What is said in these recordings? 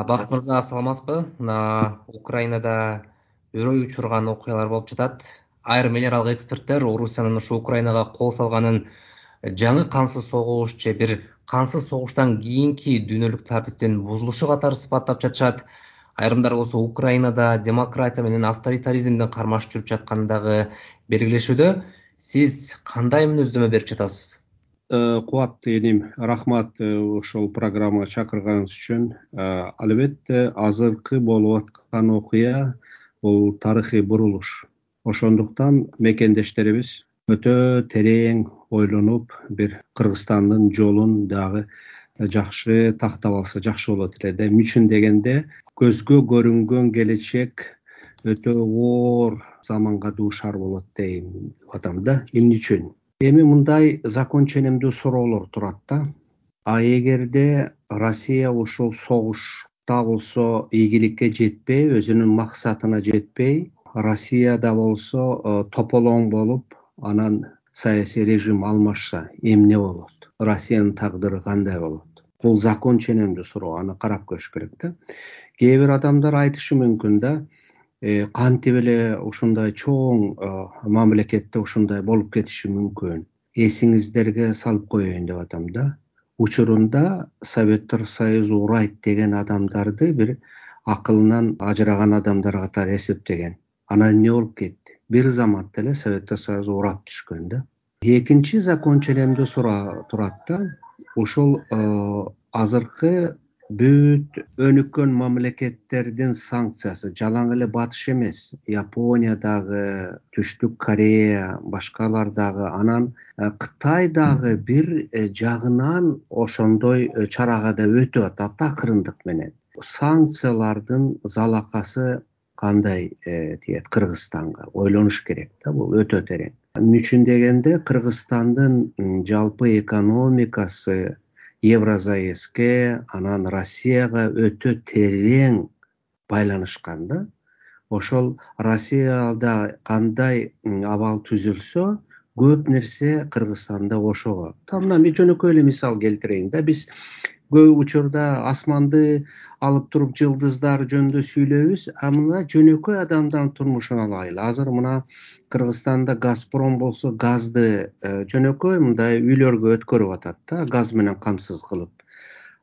Бакыт мырза, саламатсызбы? Украинада өрөй учурган окуялар болуп жатат. Айрым эл аралык эксперттер Орусиянын ушу Украинага кол салганын жаңы кансыз согуш же бир кансыз согуштан кийинки дүйнөлүк тартиптин бузулушу катары сыпаттап жатышат. Айрымдар болсо Украинада демократия менен авторитаризмдин кармаш жүрүп жатканын дагы белгилешүүдө. Сиз кандай мүнөздөмө берип жатасыз? Кубаттуу эним, рахмат ошол программага чакырганыңыз үчүн. Албетте азыркы болуп аткан окуя бул тарыхый бурулуш. Ошондуктан мекендештерибиз өтө терең ойлонуп, бир Кыргызстандын жолун дагы жакшы тактап алса жакшы болот эле да. Эмне үчүн дегенде, көзгө көрүнгөн келечек өтө оор заманга дуушар болот дейм атам да. Эмне үчүн? Эми мындай закон ченемдүү суроолор турат да. Эгерде Россия ушул согушта болсо ийгиликке жетпей, өзүнүн максатына жетпей, Россияда болсо тополоң болуп, анан саясий режим алмашса эмне болот? Россиянын тагдыры кандай болот? Бул закон ченемдүү суроо, аны карап көрүш керек да. Кээ бир адамдар айтышы мүмкүн да, кантип эле ушундай чоң мамлекетте ушундай болуп кетиши мүмкүн. Эсиңиздерге салып коеюн деп атам да. Учурунда Советтер Союзу урайт деген адамдарды бир акылынан ажыраган адамдар катары эсептеген. Анан эмне болуп кетти? Бир заматта эле Советтер Союзу урап түшкөн да. Экинчи закон ченемдүү суроо турат да. Ушул азыркы бүт өнүккөн мамлекеттердин санкциясы, жалаң эле Батыш эмес, Япония дагы, Түштүк Корея, башкалар дагы, анан Кытай дагы бир жагынан ошондой чарага да өтүп атат акырындык менен. Санкциялардын залакасы кандай тиет Кыргызстанга? Ойлонуш керек да, бул өтө терең. Эмне үчүн дегенде, Кыргызстандын жалпы экономикасы Евросоюзге, анан Россияга өтө терең байланышкан да. Ошол Россияда кандай абал түзүлсө, көп нерсе Кыргызстанда ошого. Мына мен жөнөкөй эле мисал келтирейин да. Биз көп учурда асманды алып туруп жылдыздар жөнүндө сүйлөйбүз, мына жөнөкөй адамдардын турмушун алайлы. Азыр мына Кыргызстанда Газпром болсо газды жөнөкөй мындай үйлөргө өткөрүп атат да, газ менен камсыз кылып.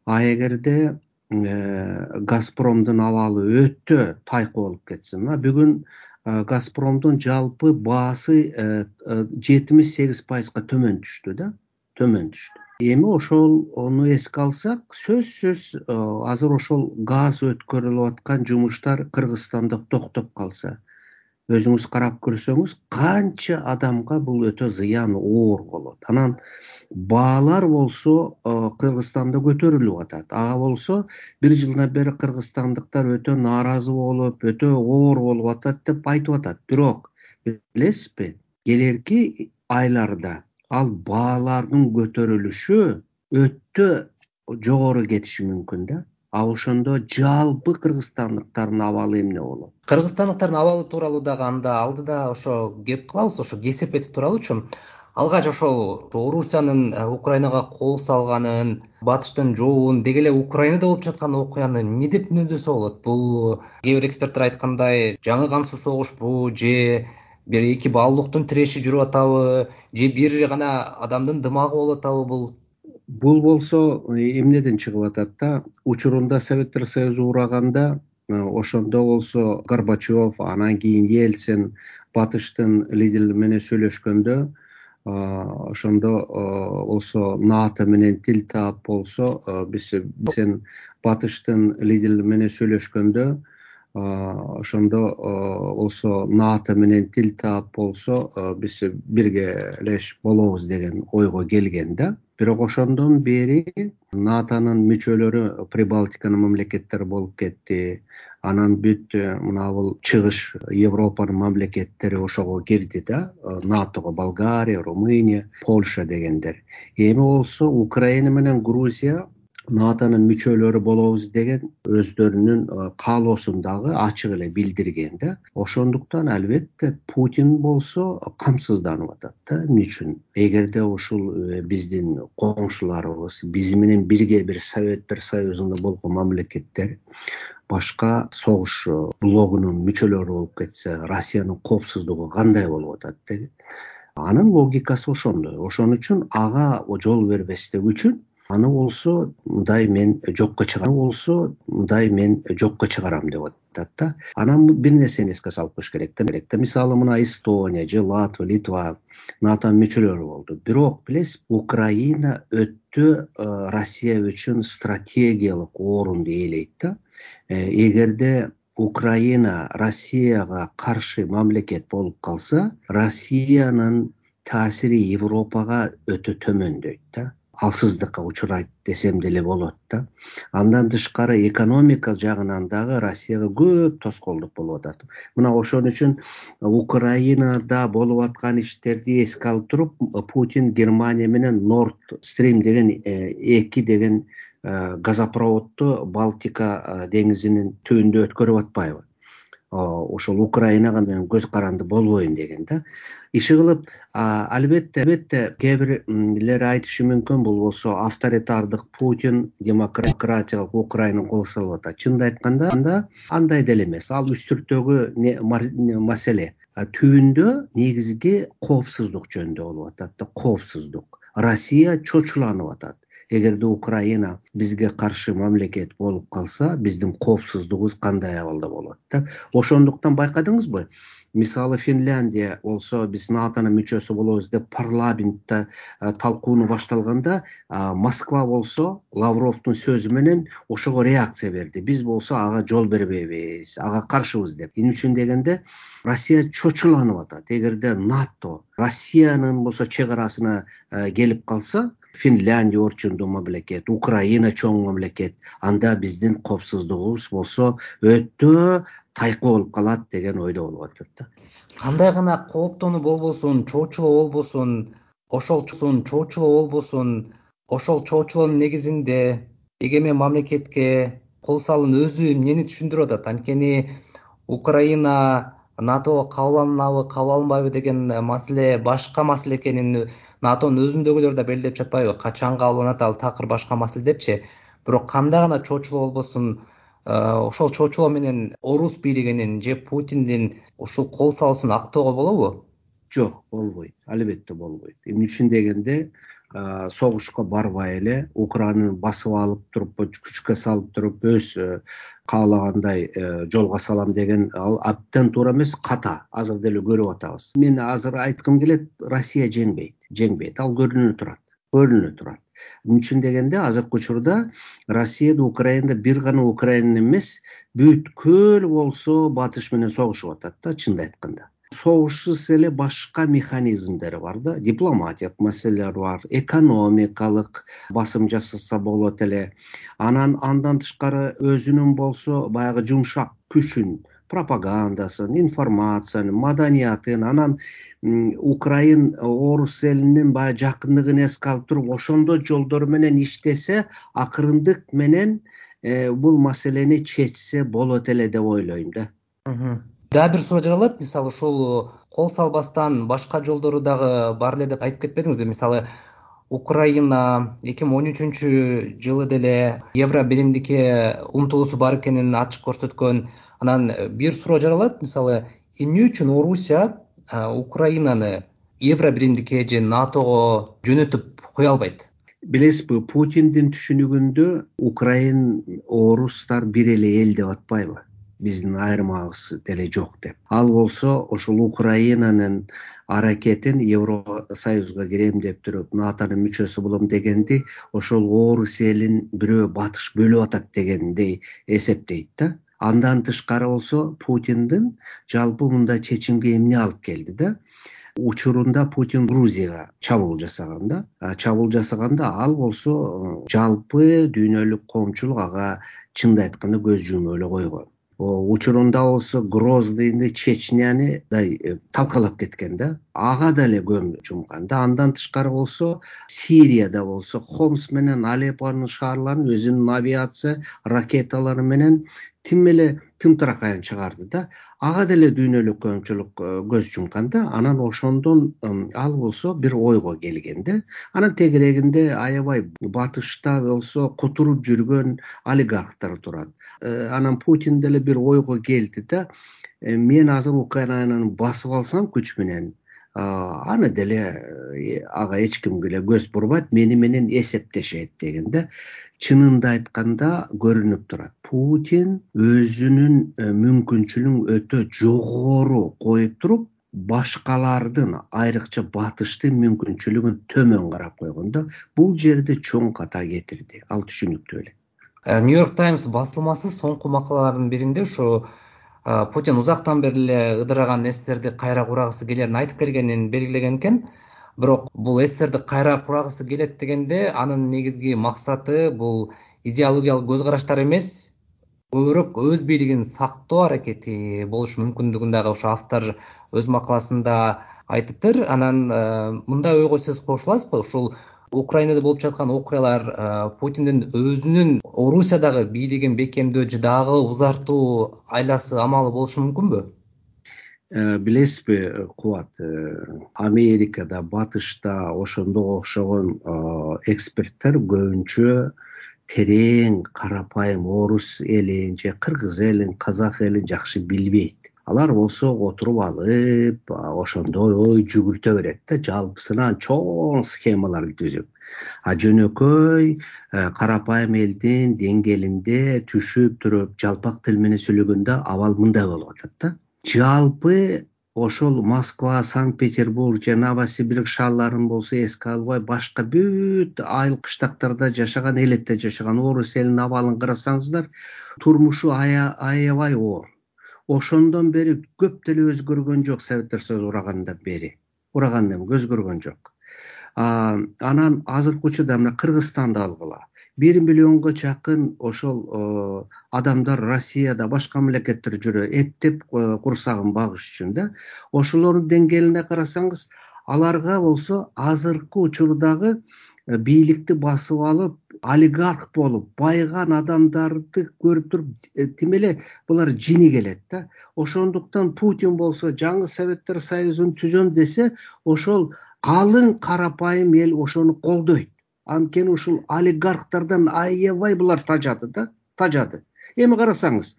Эгерде Газпромдун абалы өтө тайкы болуп кетсе, мына бүгүн Газпромдун жалпы баасы 78% төмөн түштү да, төмөн түштү. Эми ошону эске алсак, сөзсүз азыр ошол газ өткөрүлүп аткан жумуштар Кыргызстанда токтоп калса, өзүңүз карап көрсөңүз, канча адамга бул өтө зыян оор болот. Анан баалар болсо Кыргызстанда көтөрүлүп атат. Ага болсо бир жылдан бери кыргызстандыктар өтө нааразы болуп, өтө оор болуп атат деп айтып атат. Бирок билесизби, келерки айларда ал баалардын көтөрүлүшү өтө жогору кетиши мүмкүн да. Ошондо жалпы кыргызстандыктардын абалы эмне болот? Кыргызстандыктардын абалы тууралуу дагы алдыда ошо кеп кылабыз, ошо кесип этип туралычы. Алгач ошол Орусиянын Украинага кол салганын, Батыштын жообун деги эле Украинада болуп жаткан окуяны эмне деп мүнөздөсө болот? Бул кээ бир эксперттер айткандай, жаңы кансыз согушпу же бир эки баалуулуктун тиреши жүрүп атабы, же бир гана адамдын дымагы болуп атабы Бул болсо эмнеден чыгып атат да? Учурунда Советтер Союзу ураганда, ошондо болсо Горбачев, анан кийин Ельцин Батыштын лидери менен сүйлөшкөндө, ошондо болсо НАТО менен тил таап болсо, сен Батыштын лидери менен сүйлөшкөндө, ошондо болсо НАТО менен тил таап болсо, биз биргелеш болобуз деген ойго келген да. Бирок ошондон бери НАТОнун мүчөлөрү Прибалтиканын мамлекеттери болуп кетти. Анан бүт мына бул чыгыш Европанын мамлекеттери ошого кирди да, НАТОго Болгария, Румыния, Польша дегендер. Эми болсо Украина менен Грузия НАТОнун мүчөлөрү болобуз деген өздөрүнүн каалоосун дагы ачык эле билдирген да. Ошондуктан албетте Путин болсо камсызданып атат да. Эмне үчүн? Эгерде ушул биздин коңшуларыбыз, биз менен бирге бир Советтер Союзунда болгон мамлекеттер башка согуш блогунун мүчөлөрү болуп кетсе, Россиянын коопсуздугу кандай болуп атат деген. Анын логикасы ошондой. Ошон үчүн ага жол бербестик үчүн аны болсо мындай мен жокко чыгарам деп атат да. Анан бир нерсени эске салып коюш керек да. Мисалы мына Эстония же Латвия, Литва НАТОнун мүчөлөрү болду. Бирок билесиз, Украина өтө Россия үчүн стратегиялык орунду ээлейт да. Эгерде Украина Россияга каршы мамлекет болуп калса, Россиянын таасири Европага өтө төмөндөйт да. Алсыздыкка учурайт десем деле болот да. Андан тышкары экономика жагынан дагы Россияга көп тоскоолдук болуп атат. Мына ошон үчүн Украинада болуп аткан иштерди эске алып туруп, Путин Германия менен Nord Stream деген 2 деген газопроводду Балтика деңизинин түбүндө өткөрүп атпайбы? Ошол Украинага мен көз каранды болбойн деген да. Иши кылып, албетте кээ бирлер айтышы мүмкүн, бул болсо авторитардык Путин демократиялык Украинаны кол салып атат. Чынын айтканда, андай деле эмес. Ал үстүрттөгү маселе түбүндө негизги коопсуздук жөнүндө болуп атат да. Коопсуздук. Россия чочуланып атат. Эгерде Украина бизге каршы мамлекет болуп калса, биздин коопсуздугубуз кандай абалда болот да. Ошондуктан байкадыңызбы? Мисалы Финляндия болсо, биз НАТОнун мүчөсү болобуз деп парламентте талкууну башталганда, Москва болсо Лавровдун сөзү менен ошого реакция берди. Биз болсо ага жол бербейбиз, ага каршыбыз деп. Эмне үчүн дегенде, Россия чочуланып атат. Эгерде НАТО Россиянын болсо чек арасына келип калса, Финляндия орчундуу мамлекет, Украина чоң мамлекет, анда биздин коопсуздугубуз болсо өтө тайкы болуп калат деген ойдо болуп атат да. Кандай гана кооптонуу болбосун, чоочулоо болбосун, ошол чоочулоонун негизинде эгемен мамлекетке кол салуунун өзү эмнени түшүндүрүп атат? Анткени Украина НАТОго кабыл алынабы, кабыл алынбайбы деген маселе башка маселе экенин НАТОнун өзүндөгүлөр да белгилеп жатпайбы? Качан кабыл алынат, ал такыр башка маселе депчи. Бирок кандай гана чоочулоо болбосун, ошол чоочулоо менен орус бийлигинин же Путиндин ушул кол салуусун актоого болобу? Жок, болбойт. Албетте болбойт. Эмне үчүн дегенде, согушка барбай эле Украинаны басып алып туруп, күчкө салып туруп, өз каалагандай жолго салам деген ал абдан туура эмес, ката. Азыр деле көрүп атабыз. Мен азыр айткым келет, Россия жеңбейт. Ал көрүнүп турат. Эмне үчүн дегенде, азыркы учурда Россияда, Украинада бир гана Украина эмес, бүткүл болсо батыш менен согушуп атат да, чынын айтканда. Согушсуз эле башка механизмдери бар да, дипломатиялык маселелер бар, экономикалык басым жасаса болот эле. Андан тышкары өзүнүн болсо баягы жумшак күчүн, пропагандасын, информациянын, маданиятын, анан Украин орус элинин баягы жакындыгын эске алып туруп, ошондой жолдор менен иштесе, акырындык менен бул маселени чечсе болот эле деп ойлойм да. Дагы бир суроо жаралат. Мисалы, ушул кол салбастан башка жолдору дагы бар эле деп айтып кетпедиңизби? Мисалы, Украина 2013 жылы деле евро биримдикке умтулуусу бар экенин ачык көрсөткөн. Анан бир суроо жаралат. Мисалы, эмне үчүн Орусия Украинаны евро биримдикке же НАТОго жөнөтүп кое албайт? Билесизби, Путиндин түшүнүгүндө Украин, орустар бир эле эл деп атпайбы? Биздин айырмабыз деле жок деп. Ал болсо ошол Украинанын аракетин Евросоюзга кирем деп туруп, НАТОнун мүчөсү болом дегенди, ошол орус элин бирөө батыш бөлүп атат дегенди эсептейт да. Андан тышкары болсо Путиндин жалпы мындай чечимге эмне алып келди да? Учурунда Путин Грузияга чабуул жасаганда, ал болсо жалпы дүйнөлүк коомчулук ага чынын айтканда көз жумуп эле койгон. Учурунда болсо Гроздыйны, Чечняны талкалап кеткен да. Ага деле көң жумкан да. Андан тышкары болсо Сирияда болсо Хомс менен Алеппонун шаарларын өзүнүн авиация ракеталары менен тим эле тымтыракайын чыгарды да. Ага деле дүйнөлүк көпчүлүк көз жумкан да. Анан ошондон ал болсо бир ойго келген да. Анан тегерегинде аябай батышта болсо кутуруп жүргөн олигархтар турат. Анан Путин деле бир ойго келди да. Мен азыр Украинаны басып алсам күч менен, аны деле ага эч ким эле көз бурбайт, мени менен эсептешет деген да. Чынында айтканда көрүнүп турат. Путин өзүнүн мүмкүнчүлүгүн өтө жогору коюп туруп, башкалардын, айрыкча батыштын мүмкүнчүлүгүн төмөн карап койгон да. Бул жерде чоң ката кетирди. Ал түшүнүктүү эле. New York Times басылмасы соңку макалалардын биринде ушу Путин узактан бери эле ыдыраган эстерди кайра курагысы келерин айтып келгенин белгилеген экен. Бирок бул эстерди кайра курагысы келет дегенде анын негизги максаты бул идеологиялык көз караштар эмес, көбүрөөк өз бийлигин сактоо аракети болушу мүмкүндүгүн дагы ошо автор өз макаласында айтыптыр. Анан мындай ойго сиз кошуласызбы? Ушул Украинада болуп жаткан окуялар Путиндин өзүнүн Орусиядагы бийлигин бекемдөө же дагы узартуу айласы амалы болушу мүмкүнбү? Билесизби Кубат, Америкада, батышта ошондого окшогон эксперттер көбүнчө терең, карапайым орус элин же кыргыз элин, казак элин жакшы билбейт. Алар болсо отуруп алып, ошондой ой жүгүртө берет да, жалпысынан чоң схемаларды түзүп. Жөнөкөй карапайым элдин деңгээлинде түшүп туруп, жалпак тил менен сүйлөгөндө абал мындай болуп атат да. Жалпы ошол Москва, Санкт-Петербург же Новосибирск шаарларын болсо эске албай, башка бүт айыл кыштактарда жашаган, элетте жашаган орус элинин абалын карасаңыздар, турмушу аябай оор. Ошондон бери көп деле өзгөргөн жок, Советтер Союзу урагандан бери. Урагандан өзгөргөн жок. Анан азыркы учурда мына Кыргызстанды алгыла. 1 миллионго чакын ошол адамдар Россияда, башка мамлекеттер жүрө, эптеп курсагын багыш үчүн да. Ошолордун деңгээлине карасаңыз, аларга болсо азыркы учурдагы бийликти басып алып, олигарх болуп, байган адамдарды көрүп туруп, тим эле булар жини келет да. Ошондуктан Путин болсо жаңы Советтер Союзун түзөм десе, ошол калың карапайым эл ошону колдойт. Анткени ушул олигархтардан аябай булар тажады да, тажады. Эми карасаңыз,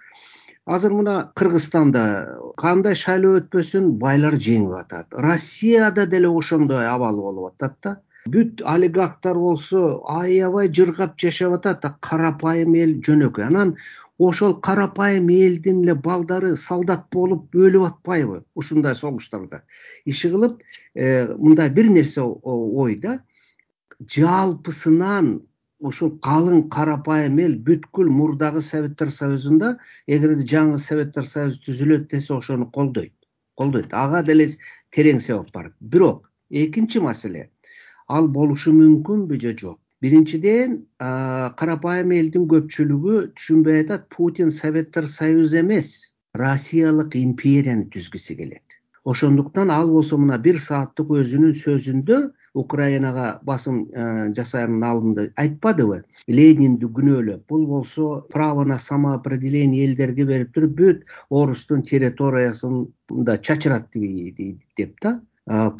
азыр мына Кыргызстанда кандай шайлоо өтпөсүн байлар жеңип атат. Россияда деле ошондой абал болуп атат да. Бүт олигархтар болсо аябай жыргап жашап атат, карапайым эл жөнөкөй. Анан ошол карапайым элдин эле балдары солдат болуп өлүп атпайбы ушундай согуштарда? Иши кылып, мындай бир нерсе ой да. Жалпысынан ошол калың карапайым эл бүткүл мурдагы Советтер Союзунда, эгерде жаңы Советтер Союзу түзүлөт десе, ошону колдойт. Ага деле терең себеп бар. Бирок экинчи маселе, ал болушу мүмкүнбү же жок? Биринчиден, карапайым элдин көпчүлүгү түшүнбөй атат, Путин Советтер Союзу эмес, Россиялык империяны түзгүсү келет. Ошондуктан ал болсо мына 1 сааттык өзүнүн сөзүндө Украинага басым жасаянын алдында айтпадыбы? Ленинди күнөөлөп, бул болсо право на самоопределение элдерге берип туруп, бүт орустун территориясын да чачырат деп да.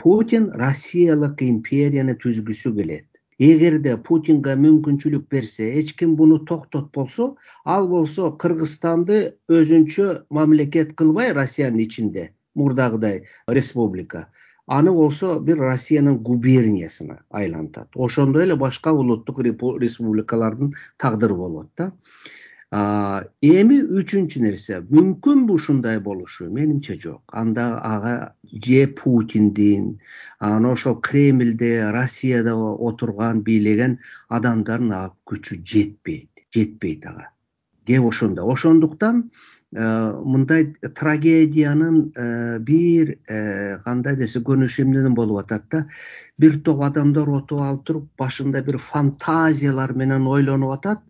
Путин Россиялык империяны түзгүсү келет. Эгерде Путинге мүмкүнчүлүк берсе, эч ким буну токтот болсо, ал болсо Кыргызстанды өзүнчө мамлекет кылбай Россиянын ичинде, мурдагыдай республика, аны болсо бир Россиянын губерниясына айлантат. Ошондой эле башка улуттук республикалардын тагдыры болот да. Эми үчүнчү нерсе, мүмкүнбү ушундай болушу? Менимче жок. Анда ага же Путиндин, ошол Кремльде, Россияда отурган, бийлеген адамдардын күчү жетпейт ага. Кеп ошондо. Ошондуктан мындай трагедиянын бир кандай десе көрүнүшү эмнеден болуп атат да. Бир топ адамдар отуп алып туруп, башында бир фантазиялар менен ойлонуп атат,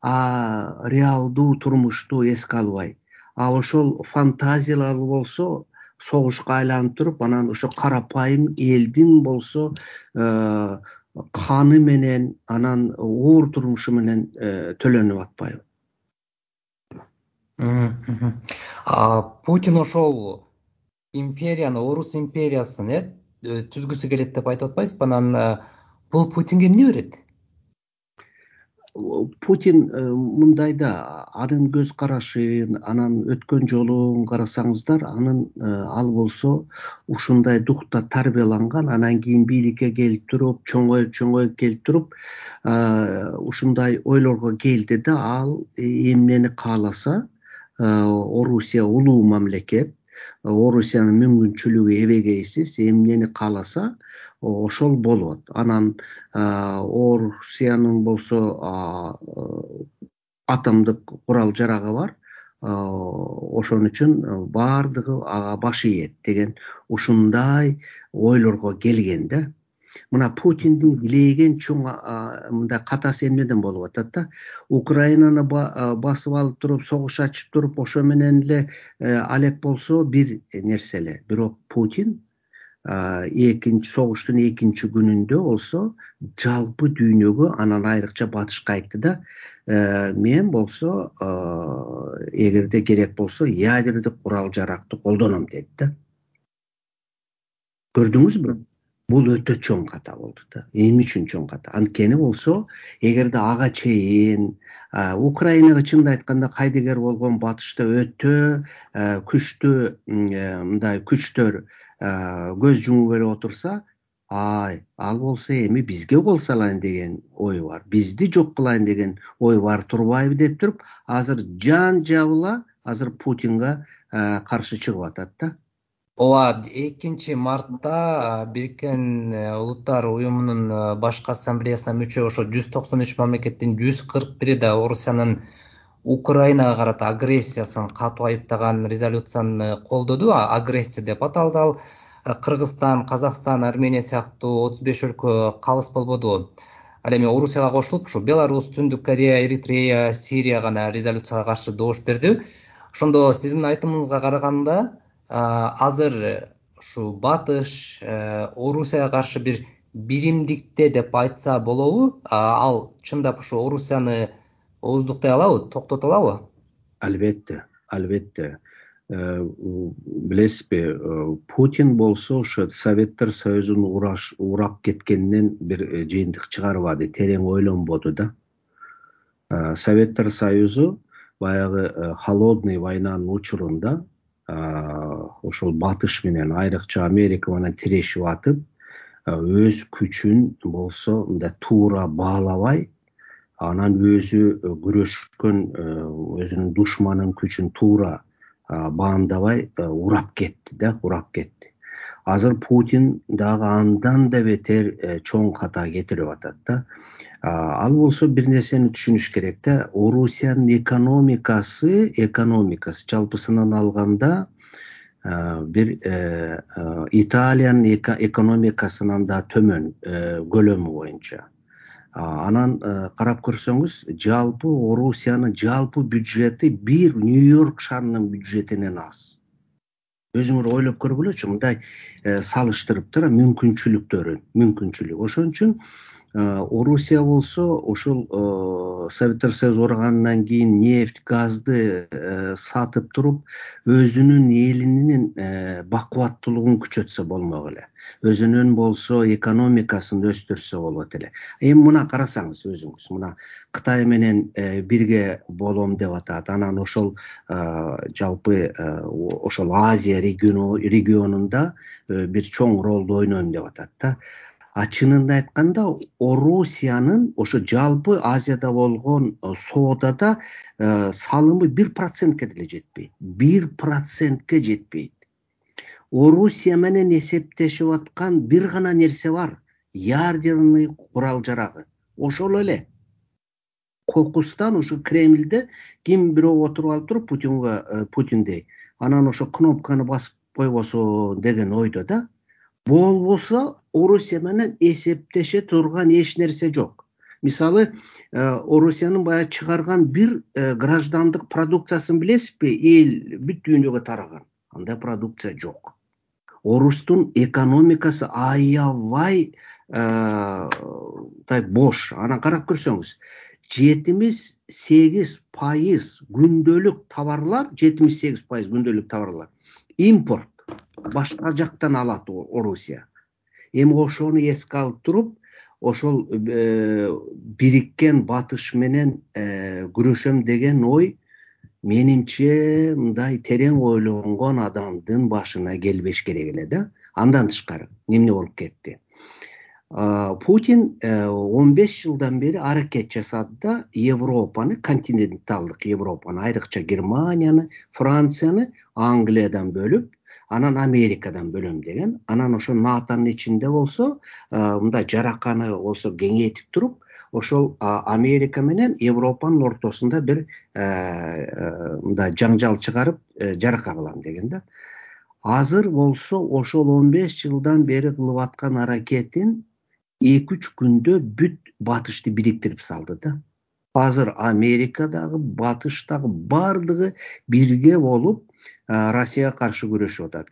реалдуу турмушту эске албай. а ошол фантазиялар болсо согушка айланып туруп, анан ошо карапайым элдин болсо каны менен, анан оор турмушу менен төлөнүп атпайбы? Путин ошол империяны, Орус империясын түзгүсү келет деп айтып атпайсызбы? Анан бул Путинге эмне берет? Путин мындай да, анын көз карашын, анан өткөн жолун карасаңыздар, ал болсо ушундай духта тарбияланган, анан кийин бийликке келип туруп, чоңоюп келип туруп, ушундай ойлорго келди да, ал эмнени кааласа, Орусия улуу мамлекет, Орусиянын мүмкүнчүлүгү эбегейсиз, эмнени кааласа ошол болот. Анан Орусиянын болсо атомдук курал жарагы бар, ошон үчүн баардыгы ага баш ийет деген ушундай ойлорго келген да. Мына Путиндин билеген чоң мындай катасы эмнеден болуп атат да? Украинаны басып алып туруп, согуш ачып туруп, ошо менен эле алек болсо бир нерсе эле. Бирок Путин согуштун экинчи күнүндө болсо жалпы дүйнөгө, анан айрыкча батышка айтты да, мен болсо эгерде керек болсо ядердик курал жаракты колдоном деди да. Көрдүңүзбү? Бул өтө чоң ката болду да. Эмне үчүн чоң ката? Анткени болсо, эгерде ага чейин Украинага чынын айтканда кайдыгер болгон батышта өтө күчтүү мындай күчтөр көз жумуп эле отурса, ал болсо эми бизге кол салайын деген ой бар, бизди жок кылайын деген ой бар турбайбы деп туруп, азыр жан жабыла азыр Путинга каршы чыгып атат да. Ооба, 2 мартта Бириккен Улуттар Уюмунун башкы ассамблеясына мүчө ошо 193 мамлекеттин 141 да Орусиянын Украинага карата агрессиясын катуу айыптаган резолюцияны колдоду. Агрессия деп аталды ал. Кыргызстан, Казакстан, Армения сыяктуу 35 өлкө калыс болбоду. Ал эми Орусияга кошулуп, ушу Беларусь, Түндүк Корея, Эритрея, Сирия гана резолюцияга каршы добуш берди. Ошондо сиздин айтымыңызга караганда, азыр ушу батыш Орусияга каршы бир биримдикте деп айтса болобу? Ал чындап ушу Орусияны ооздуктай алабы, токтото алабы? Албетте. Билесизби, Путин болсо ошо Советтер Союзун урап кеткенинен бир жыйынтык чыгарбады, терең ойлонбоду да. Советтер Союзу баягы холодный войнанын учурунда ошол батыш менен, айрыкча Америка менен тирешип атып, өз күчүн болсо мындай туура баалабай, анан өзү күрөшкөн өзүнүн душманын күчүн туура баамдабай урап кетти. Азыр Путин дагы андан да бетер чоң ката кетирип атат да. Ал болсо бир нерсени түшүнүш керек да, Орусиянын экономикасы жалпысынан алганда бир Италиянын экономикасынан да төмөн көлөмү боюнча. Анан карап көрсөңүз, жалпы Орусиянын жалпы бюджети бир Нью-Йорк шаарынын бюджетинен аз. Өзүңөр ойлоп көргүлөчү, мындай салыштырып тура мүмкүнчүлүк. Ошон үчүн Орусия болсо ошол Советтер Союзу кургандан кийин нефть, газды сатып туруп, өзүнүн элинин бакубаттуулугун күчөтсө болмок эле. Өзүнүн болсо экономикасын өстүрсө болот эле. Эми мына карасаңыз өзүңүз, мына Кытай менен бирге болом деп атат. Анан ошол жалпы ошол Азия регионунда бир чоң ролду ойнойм деп атат да. Чынында айтканда, Орусиянын ошо жалпы Азияда болгон соодада салымы 1%ке деле жетпейт. 1%ке жетпейт. Орусия менен эсептешип аткан бир гана нерсе бар. Ядерный курал жарагы. Ошол эле. Кокустан ушу Кремльде ким бирөө отуруп алып туруп Путиндей. Анан ошо кнопканы басып койбосо деген ойдо да. Болбосо Орусия менен эсептеше турган эч нерсе жок. Мисалы, Орусиянын баягы чыгарган бир граждандык продукциясын билесизби? Эл бүт дүйнөгө тараган. Андай продукция жок. Орустун экономикасы аябай бош. Анан карап көрсөңүз, 78% күндөлүк товарлар, 78% күндөлүк товарлар импорт. Башка жактан алат Орусия. Эми ошону эске алып туруп, ошол бириккен батыш менен күрөшөм деген ой менимче мындай терең ойлонгон адамдын башына келбеш керек эле да. Андан тышкары эмне болуп кетти? Путин 15 жылдан бери аракет жасады да Европаны, континенталдык Европаны, айрыкча Германияны, Францияны Англиядан бөлүп, анан Америкадан бөлөм деген. Анан ошо НАТОнун ичинде болсо, мындай жараканы болсо кеңейтип туруп, ошол Америка менен Европанын ортосунда бир мындай жаңжал чыгарып, жарака кылам деген да. Азыр болсо ошол 15 жылдан бери кылып аткан аракетин 2-3 күндө бүт батышты бириктирип салды да. Азыр Америкадагы, батыштагы бардыгы бирге болуп Россияга каршы күрөшүп атат.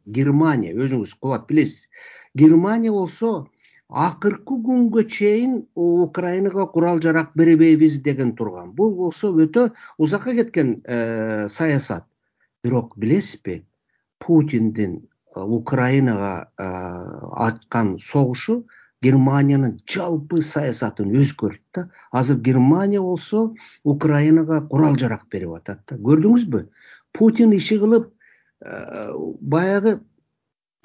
Германия өзүңүз кубат билесиз. Германия болсо акыркы күнгө чейин Украинага курал жарак бербейбиз деген турган. Бул болсо өтө узакка кеткен саясат. Бирок билесизби, Путиндин Украинага ачкан согушу Германиянын жалпы саясатын өзгөрттү да. Азыр Германия болсо Украинага курал жарак берип атат да. Көрдүңүзбү? Путин иши кылып баягы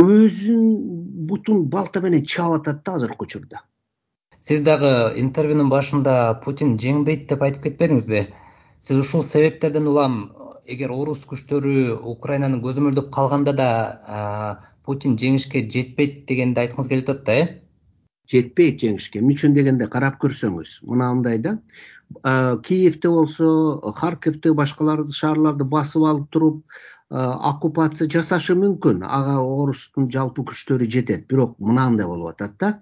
өзүнүн бутун балта менен чаап атат да азыркы учурда. Сиз дагы интервьюнун башында Путин жеңбейт деп айтып кетпедиңизби? Сиз ушул себептерден улам эгер орус күчтөрү Украинаны көзөмөлдөп калганда да Путин жеңишке жетпейт дегенди айткыңыз келип атат да, Жетпейт жеңишке. Эмне үчүн дегенде карап көрсөңүз, мынандай да. Киевде болсо, Харьковде, башкаларды шаарларды басып алып туруп, оккупация жасашы мүмкүн. Ага орустун жалпы күчтөрү жетет. Бирок мынандай болуп атат да.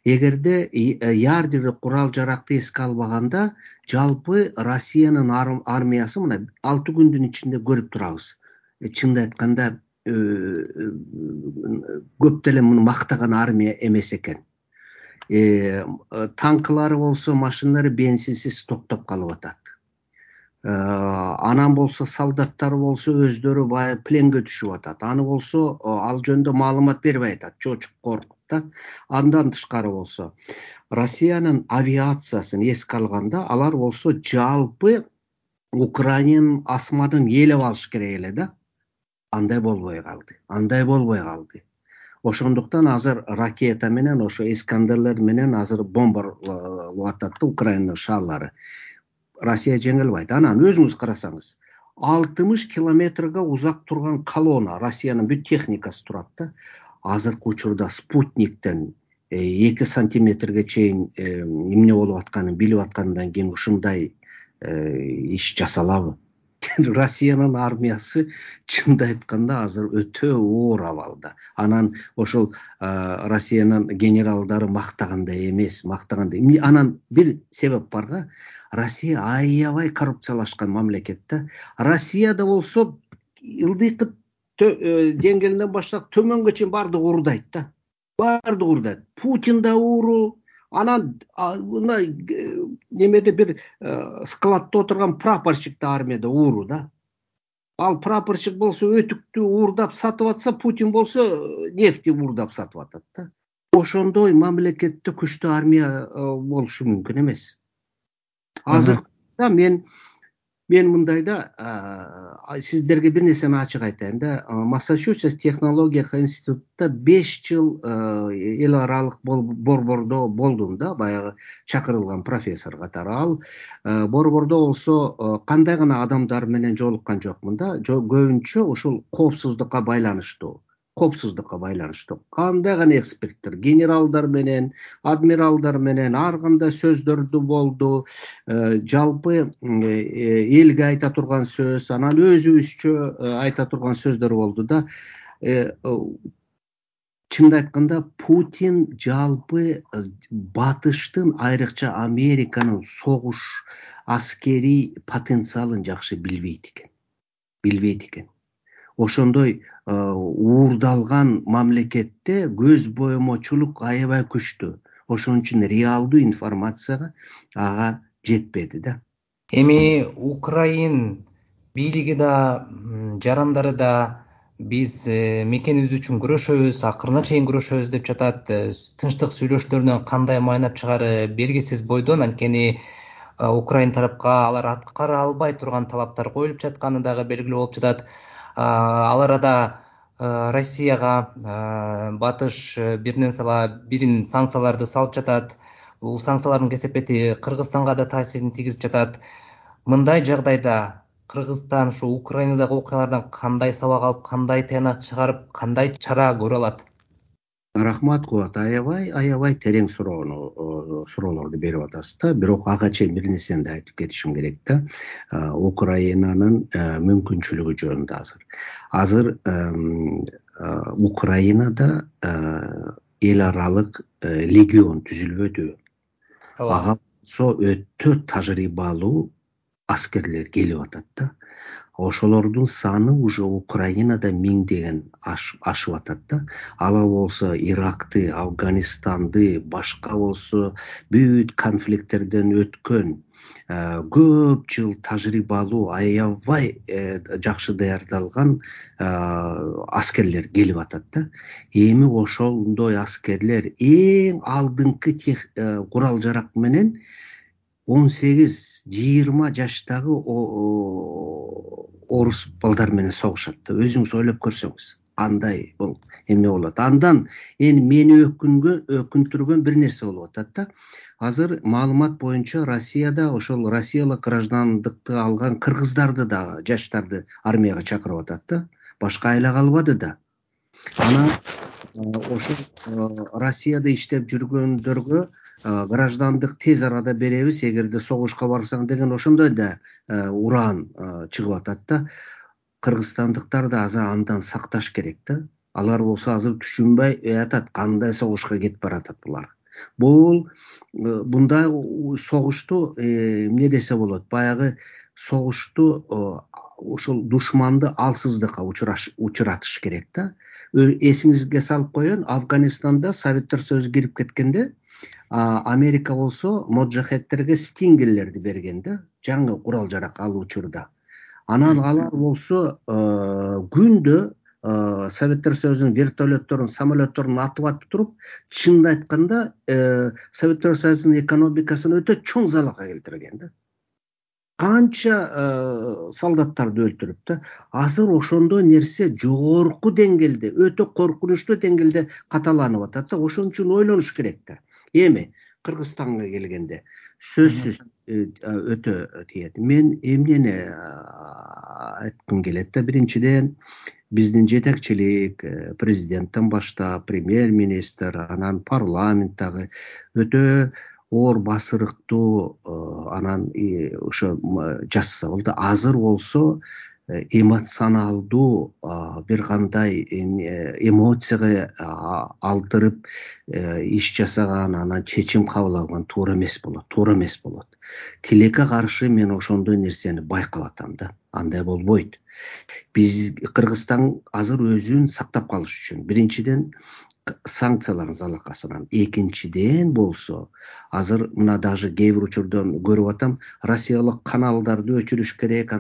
Эгерде ядердик курал жаракты эске албаганда, жалпы Россиянын армиясы мына 6 күндүн ичинде көрүп турабыз. Чынын айтканда көп деле муну мактаган армия эмес экен. Танкылары болсо, машиналары бензинсиз токтоп калып атат. Анан болсо солдаттары болсо өздөрү бая пленге түшүп атат. Аны болсо ал жөнүндө маалымат бербей атат, чочуп коркуп да. Андан тышкары болсо Россиянын авиациясын эске алганда, алар болсо жалпы Украинанын асманын ээлеп алыш керек эле да. Андай болбой калды. Ошондуктан азыр ракета менен, ошо Искандерлер менен азыр бомбалап атат да Украинанын шаарлары. Россия жеңе албайт. Анан өзүңүз карасаңыз, 60 километрге узак турган колонна, Россиянын бүт техникасы турат да. Азыркы учурда спутниктен 2 сантиметрге чейин эмне болуп атканын билип аткандан кийин ушундай иш жасалабы? Россиянын армиясы чынды айтканда азыр өтө оор абалда. Анан ошол Россиянын генералдары мактагандай эмес, Анан бир себеп барга, Россия аябай коррупциялашкан мамлекет да. Россияда болсо ылдыйкы деңгээлинен баштап төмөнгө чейин бардыгы уурдайт да. Путин да ууру. Анан мындай немеде бир складда отурган прапорщик да армияда ууру да. Ал прапорщик болсо өтүктү уурдап сатып атса, Путин болсо нефти уурдап сатып атат да. Ошондой мамлекетте күчтүү армия болушу мүмкүн эмес. Азыркы мен мындай да, сиздерге бир нерсени ачык айтайын да. Массачусетс технология институтта 5 жыл эл аралык борбордо болдум да, баягы чакырылган профессор катары. Ал борбордо болсо кандай гана адамдар менен жолуккан жокмун да, көбүнчө ушул коопсуздукка байланыштуу. Кандай гана эксперттер, генералдар менен, адмиралдар менен ар кандай сөздөрдү болду. Жалпы элге айта турган сөз, анан өзүбүзчө айта турган сөздөр болду да. чынды айтканда Путин жалпы батыштын, айрыкча Американын согуш аскерий потенциалын жакшы билбейт экен. Ошондой уурдалган мамлекетте көз боемочулук аябай күчтүү. Ошон үчүн реалдуу информацияга ага жетпеди да. Эми Украин бийлиги да, жарандары да биз мекенибиз үчүн күрөшөбүз, акырына чейин күрөшөбүз деп жатат. Тынчтык сүйлөшүүлөрүнөн кандай майнап чыгары белгисиз бойдон, анткени Украин тарапка алар аткара албай турган талаптар коюлуп жатканы дагы белгилүү болуп жатат. Ал арада Россияга батыш биринен бирин санкцияларды салып жатат. Бул санкциялардын кесепети Кыргызстанга да таасирин тийгизип жатат. Мындай жагдайда Кыргызстан ушу Украинадагы окуялардан кандай сабак алып, кандай тыянак чыгарып, кандай чара көрө алат? Рахмат Кубат, аябай терең суроолорду берип атасыз да. Бирок ага чейин бир нерсени да айтып кетишим керек да. Украинанын мүмкүнчүлүгү жөнүндө азыр Украинада эл аралык легион түзүлбөдү. Ага өтө тажрыйбалуу аскерлер келип атат да. Ошолордун саны уже Украинада миңдеген ашып атат да. Алар болсо Иракты, Афганистанды, башка болсо бүт конфликттерден өткөн көп жыл тажрыйбалуу, аябай жакшы даярдалган аскерлер келип атат да. Эми ошондой аскерлер эң алдыңкы курал жарак менен 18-20 жаштагы орус балдар менен согушат да. Өзүңүз ойлоп көрсөңүз, кандай бул эмне болот. Андан мени өкүндүргөн бир нерсе болуп атат да. Азыр маалымат боюнча Россияда ошол россиялык граждандыкты алган кыргыздарды да, жаштарды армияга чакырып атат да. Башка айла калбады да. Анан ошол Россияда иштеп жүргөндөргө граждандык тез арада беребиз, эгерде согушка барсаң деген ошондой да уран чыгып атат да. Кыргызстандыктар да азыр андан сакташ керек да. Алар болсо азыр түшүнбөй атат, кандай согушка кетип баратат булар. Бул мындай согушту эмне десе болот, баягы согушту ошол душманды алсыздыкка учуратыш керек да. Эсиңизге салып коеюн, Афганистанда Советтер Союзу кирип кеткенде Америка болсо моджахедтерге стингерлерди берген да, жаңы курал жарак ал учурда. Анан алар болсо күндө Советтер Союзунун вертолетторун, самолетторун атып туруп, чынын айтканда Советтер Союзунун экономикасын өтө чоң залалга келтирген да. Канча солдаттарды өлтүрүп да. Азыр ошондой нерсе жогорку деңгээлде, өтө коркунучтуу деңгээлде каталанып атат да. Ошон үчүн ойлонуш керек да. Эми Кыргызстанга келгенде сөзсүз өтө тиет. Мен эмнени айткым келет да, биринчиден биздин жетекчилик, президенттен баштап, премьер-министр, анан парламенттагы өтө оор басырыктуу анан ошо жасаса болду. Азыр болсо эмоционалдуу бир кандай эмоцияга алдырып иш жасаган, анан чечим кабыл алган туура эмес болот. Тилекке каршы мен ошондой нерсени байкап атам да. Андай болбойт. Биз Кыргызстан азыр өзүн сактап калыш үчүн биринчиден санкциялардын залакасынан, экинчиден болсо азыр мына даже кээ бир учурдан көрүп атам, Россиялык каналдарды өчүрүш керек.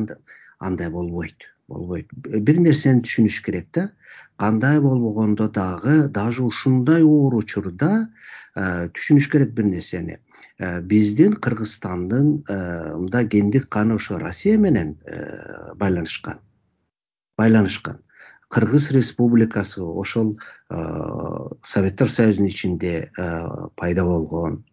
Андай болбойт. Бир нерсени түшүнүш керек да. Кандай болбогондо дагы даже ушундай оор учурда түшүнүш керек бир нерсени. Биздин Кыргызстандын мындай гендик каны ошо Россия менен байланышкан. Кыргыз Республикасы ошол Советтер Союзунун ичинде пайда болгон.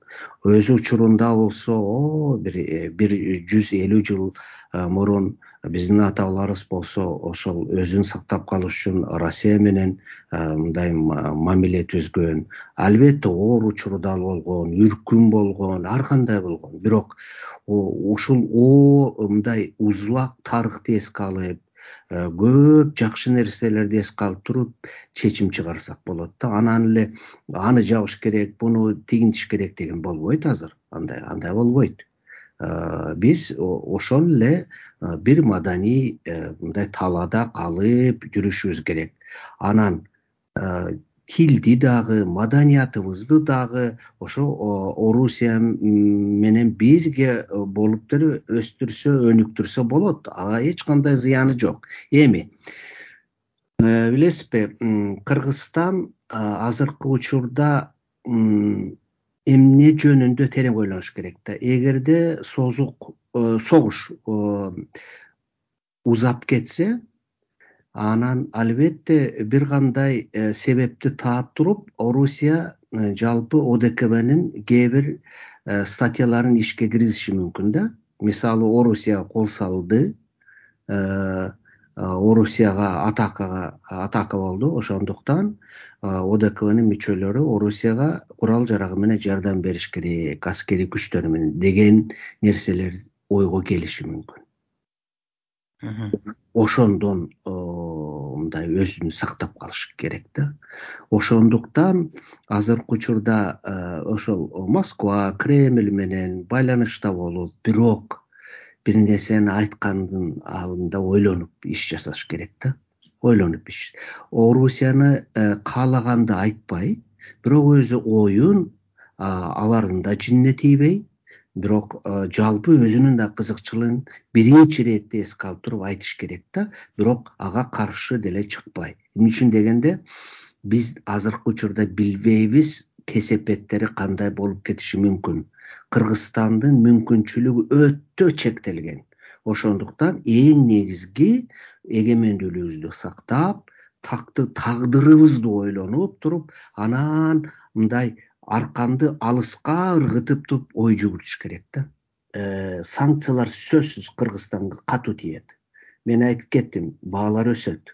Өз учурунда болсо бир 150 жыл мурун биздин ата-бабаларыбыз болсо ошол өзүн сактап калыш үчүн Россия менен мындай мамиле түзгөн. Албетте оор учурда болгон, үркүн болгон, ар кандай болгон. Бирок ушул мындай узак тарыхты эске алып, көп жакшы нерселерди эске алып туруп чечим чыгарсак болот да. Анан эле аны жабыш керек, буну тигинтиш керек деген болбойт азыр. Андай болбойт. Биз ошол эле бир маданий мындай талаада калып жүрүшүбүз керек. Анан тилди дагы, маданиятыбызды дагы ошо Орусия менен бирге болуп деле өстүрсө, өнүктүрсө болот. Ага эч кандай зыяны жок. Эми билесизби, Кыргызстан азыркы учурда эмне жөнүндө терең ойлонуш керек да. Эгерде согуш узап кетсе, анан албетте бир кандай себепти таап туруп, Орусия жалпы ОДКБнын кээ бир статьяларын ишке киргизиши мүмкүн да. Мисалы, Орусияга кол салды, Орусияга атака болду. Ошондуктан ОДКБнын мүчөлөрү Орусияга курал жарагы менен жардам бериш керек, аскерий күчтөрү менен деген нерселер ойго келиши мүмкүн. Ошондон мындай өзүн сактап калыш керек да. Ошондуктан азыркы учурда ошол Москва, Кремль менен байланышта болуп, бирок бир нерсени айткандын алдында ойлонуп иш жасаш керек да. Ойлонуп иш. Орусияны каалаганды айтпай, бирок өзү оюн алардын да жинине тийбей, бирок жалпы өзүнүн да кызыкчылыгын биринчи иретте эске алып туруп айтыш керек да, бирок ага каршы деле чыкпай. Эмне үчүн дегенде, биз азыркы учурда билбейбиз кесепеттери кандай болуп кетиши мүмкүн. Кыргызстандын мүмкүнчүлүгү өтө чектелген. Ошондуктан эң негизги эгемендүүлүгүбүздү сактап, тагдырыбызды ойлонуп туруп, анан мындай арканды алыска ыргытып туруп ой жүгүртүш керек да. Санкциялар сөзсүз Кыргызстанга катуу тиет. Мен айтып кеттим, баалар өсөт.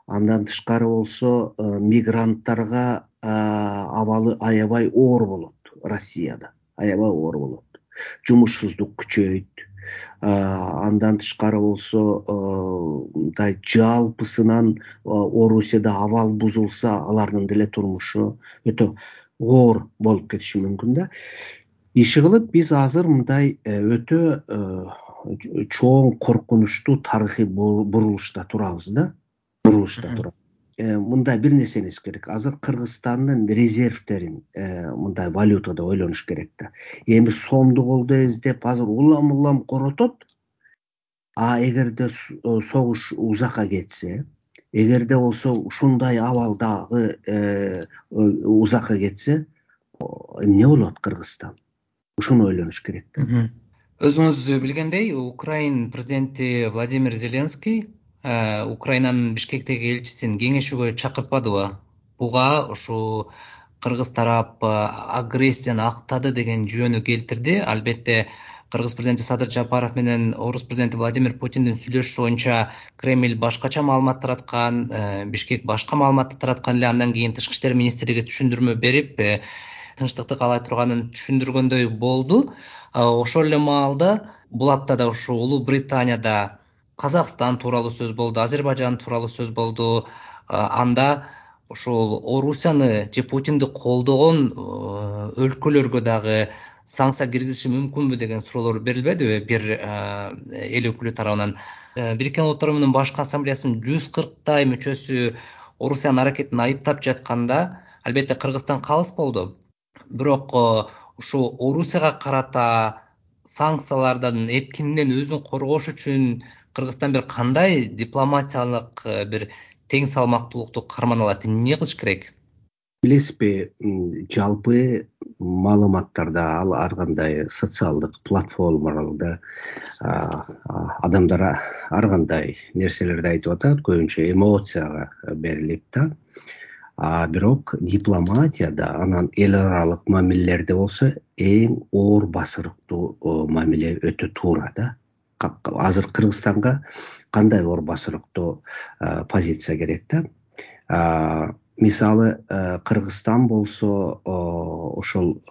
Андан тышкары болсо мигранттарга абалы аябай оор болот. Россияда аябай оор болот. Жумушсуздук күчөйт. Андан тышкары болсо мындай жалпысынан Орусияда абал бузулса, алардын деле турмушу өтө оор болуп кетиши мүмкүн да. Иши кылып биз азыр мындай өтө чоң коркунучтуу тарыхый бурулушта турабыз да. Мындай бир нерсени эскериш керек. Азыр Кыргызстандын резервтерин мындай валютада ойлонуш керек да. Эми сомду колдо издеп азыр улам коротот. Эгерде согуш узакка кетсе, эгерде болсо ушундай абалдагы узакка кетсе, эмне болот Кыргызстан? Ушуну ойлонуш керек да. Өзүңүз билгендей, Украин президенти Владимир Зеленский Украинанын Бишкектеги элчисин кеңешүүгө чакыртпадыбы? Буга ушу кыргыз тарап агрессияны актады деген жөнү келтирди. Албетте Кыргыз президенти Садыр Жапаров менен Орус президенти Владимир Путиндин сүйлөшүшү боюнча Кремль башкача маалымат тараткан, Бишкек башка маалыматты тараткан эле. Андан кийин Тышкы иштер министрлиги түшүндүрмө берип, тынчтыкты каалай турганын түшүндүргөндөй болду. Ошол эле маалда бул аптада ушу Улуу Британияда Казакстан тууралуу сөз болду, Азербайжан тууралуу сөз болду. Анда ошол Орусияны же Путинди колдогон өлкөлөргө дагы санкция киргизиши мүмкүнбү деген суроолор берилбедиби бир эл өкүлү тарабынан? Бириккен Улуттар Уюмунун башкы ассамблеясынын 140 мүчөсү Орусиянын аракетин айыптап жатканда, албетте Кыргызстан калыс болду. Бирок ушу Орусияга карата санкциялардан эпкининен өзүн коргош үчүн Кыргызстан бир кандай дипломатиялык бир тең салмактуулукту карман алат? Эмне кылыш керек? Билесизби, жалпы маалыматтарда, ар кандай социалдык платформаларда адамдар ар кандай нерселерди айтып атат, көбүнчө эмоцияга берилип да. Бирок дипломатияда, анан эл аралык мамилелерде болсо эң оор басырыктуу мамиле өтө туура да. Азыр Кыргызстанга кандай оор басырыктуу позиция керек да. Мисалы, Кыргызстан болсо ошол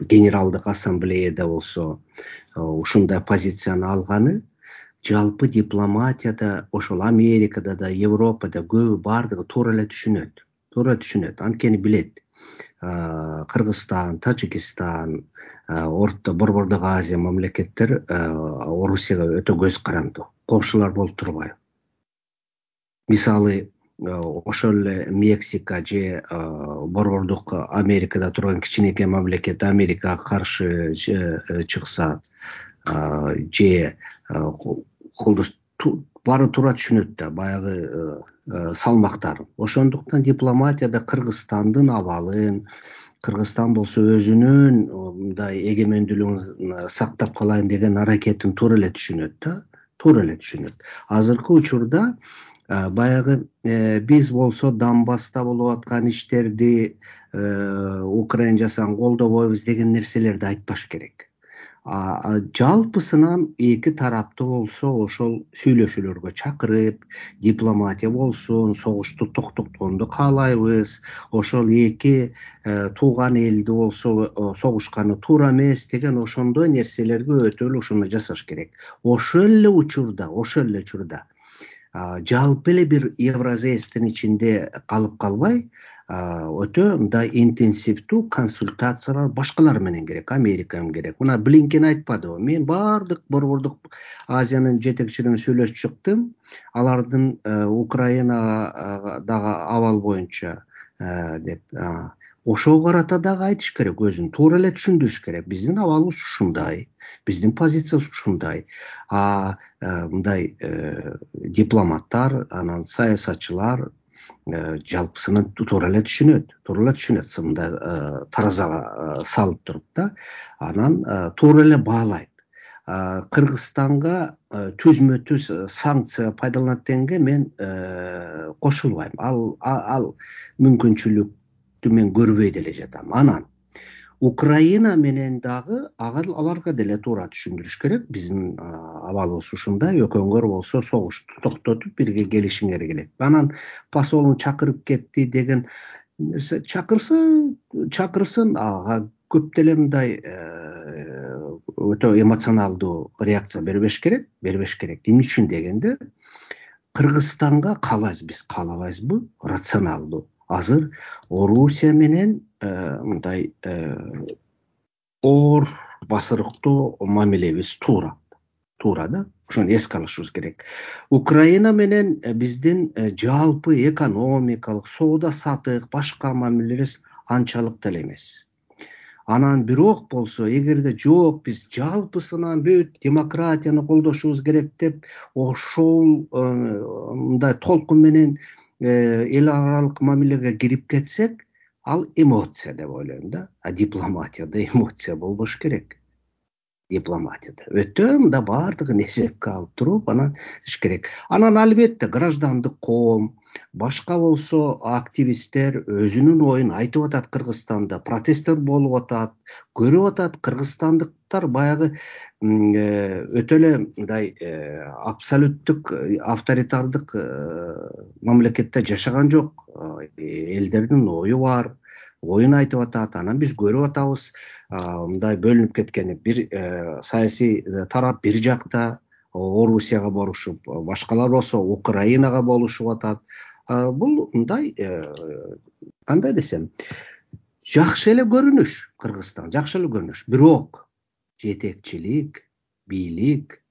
генералдык ассамблеяда болсо ушундай позицияны алганы жалпы дипломатияда ошол Америкада да, Европада көбү баардыгы туура эле түшүнөт, анткени билет. Кыргызстан, Тажикстан, Борбордук Азия мамлекеттер Орусияга өтө көз карандуу, коңшулар болуп турбайбы. Мисалы, ошол эле Мексика же Борбордук Америкада турган кичинекей мамлекет Америкага каршы чыкса же колдош, баары туура түшүнөт да баягы салмактарын. Ошондуктан дипломатияда Кыргызстандын абалын, Кыргызстан болсо өзүнүн мындай эгемендүүлүгүн сактап калайын деген аракетин туура эле түшүнөт. Азыркы учурда баягы биз болсо Донбасста болуп аткан иштерди Украина жасаган колдобойбуз деген нерселерди айтпаш керек. Жалпысынан эки тараптуу болсо ошол сүйлөшүүлөргө чакырып, дипломатия болсун, согушту токтотконду каалайбыз, ошол эки тууган элди болсо согушканы туура эмес деген ошондой нерселерге өтө эле ушуну жасаш керек. Ошол эле учурда жалпы эле бир Евразиядин ичинде калып калбай, өтө мындай интенсивдүү консультациялар башкалар менен керек, Америка менен керек. Мына Блинкен айтпадыбы, мен баардык Борбордук Азиянын жетекчилерин сүйлөшүп чыктым, алардын Украинадагы абал боюнча деп. Ошого карата дагы айтыш керек, өзүн туура эле түшүндүрүш керек. Биздин абалыбыз ушундай, биздин позициябыз ушундай. Мындай дипломаттар, анан саясатчылар жалпысынан туура эле түшүнөт, мындай таразага салып туруп да, анан туура эле баалайт. Кыргызстанга түзмө-түз санкция пайдаланат дегенге мен кошулбайм. Ал мүмкүнчүлүктү мен көрбөй деле жатам. Анан Украина менен дагы аларга деле туура түшүндүрүш керек. Биздин абалыбыз ушундай, экөөңөр болсо согушту токтотуп бирге келишиңер керек. Анан посолун чакырып кетти деген нерсе чакырсын, ага көп деле мындай өтө эмоционалдуу реакция бербеш керек. Эмне үчүн дегенде, Кыргызстанга каалабайбызбы рационалдуу. Азыр Орусия менен мындай оор басырыктуу мамилебиз туура да. Ошону эске алышыбыз керек. Украина менен биздин жалпы экономикалык, соода саттык, башка мамилебиз анчалык деле эмес. Анан бирок болсо, эгерде жок, биз жалпысынан бүт демократияны колдошубуз керек деп, ошол мындай толкун менен эл аралык мамилеге кирип кетсек, ал эмоция деп ойлойм да. Дипломатияда эмоция болбош керек. Дипломатияда өтө мында баардыгын эсепке алып туруп анан иш керек. Анан албетте граждандык коом, башка болсо активисттер өзүнүн оюн айтып атат. Кыргызстанда протесттер болуп атат, көрүп атат. Кыргызстандыктар баягы өтө эле мындай абсолюттүк авторитардык мамлекетте жашаган жок. Элдердин ою бар, оюн айтып атат. Анан биз көрүп атабыз мындай бөлүнүп кеткени. Бир саясий тарап бир жакта Орусияга болушуп, башкалар болсо Украинага болушуп атат. Бул мындай кандай десем, жакшы эле көрүнүш. Кыргызстан жакшы эле көрүнүш. Бирок жетекчилик, бийлик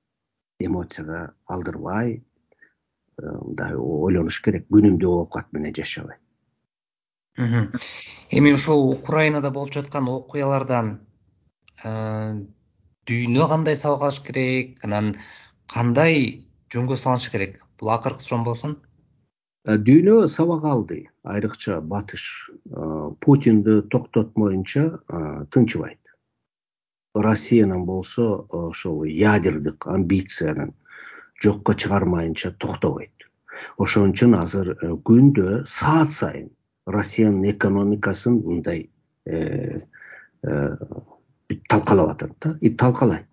эмоцияга алдырбай мындай ойлонуш керек. Күнүмдүк оокат менен жашабай. Эми ошол Украинада болуп жаткан окуялардан дүйнө кандай сабак алыш керек, анан кандай жөнгө салыш керек? Бул акыркы суроом болсун. Дүйнө сабак алды, айрыкча Батыш. Путинди токтотмоюнча тынчыбайт. Россиянын болсо ошол ядердик амбициянын жокко чыгармайынча токтобойт. Ошон үчүн азыр күндө саат сайын Россиянын экономикасын мындай талкалап атат да, талкалайт.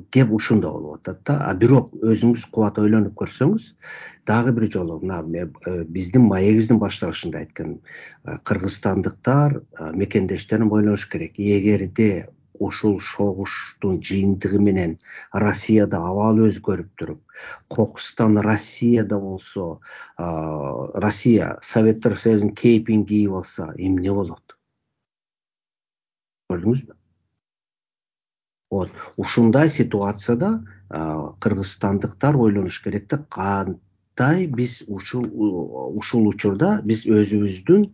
Кеп ушунда болуп атат да. Бирок өзүңүз кубат ойлонуп көрсөңүз, дагы бир жолу мына биздин маегибиздин башталышында айткан кыргызстандыктар, мекендештерин ойлош керек. Эгерде ушул согуштун жыйынтыгы менен Россияда абал өзгөрүп туруп, кокустан Россияда болсо, Россия Советтер Союзунун кейпин кийип алса, эмне болот? Көрдүңүзбү? Вот ушундай ситуацияда кыргызстандыктар ойлонуш керек да, кандай биз ушул учурда биз өзүбүздүн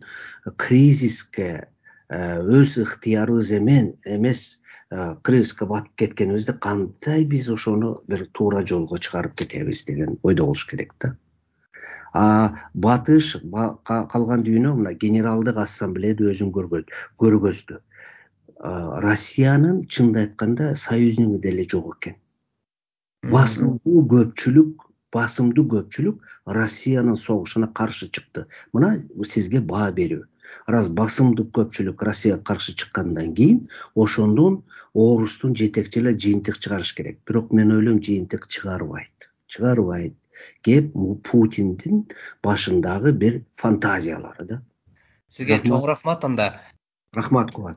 кризиске өз ыктыярыбыз эмес кризиске батып кеткенибизди кандай биз ошону бир туура жолго чыгарып кетебиз деген ойдо болуш керек да. Батыш калган дүйнө мына Генералдык ассамблеяда өзүн көргөздү. Россиянын чынын айтканда союзниги деле жок экен. Басымдуу көпчүлүк Россиянын согушуна каршы чыкты. Мына сизге баа берүү. Раз басымдуу көпчүлүк Россияга каршы чыккандан кийин ошондон орустун жетекчилери жыйынтык чыгарыш керек. Бирок мен ойлойм, жыйынтык чыгарбайт. Кеп Путиндин башындагы бир фантазиялары да. Сизге чоң рахмат анда. Рахмат Кубат.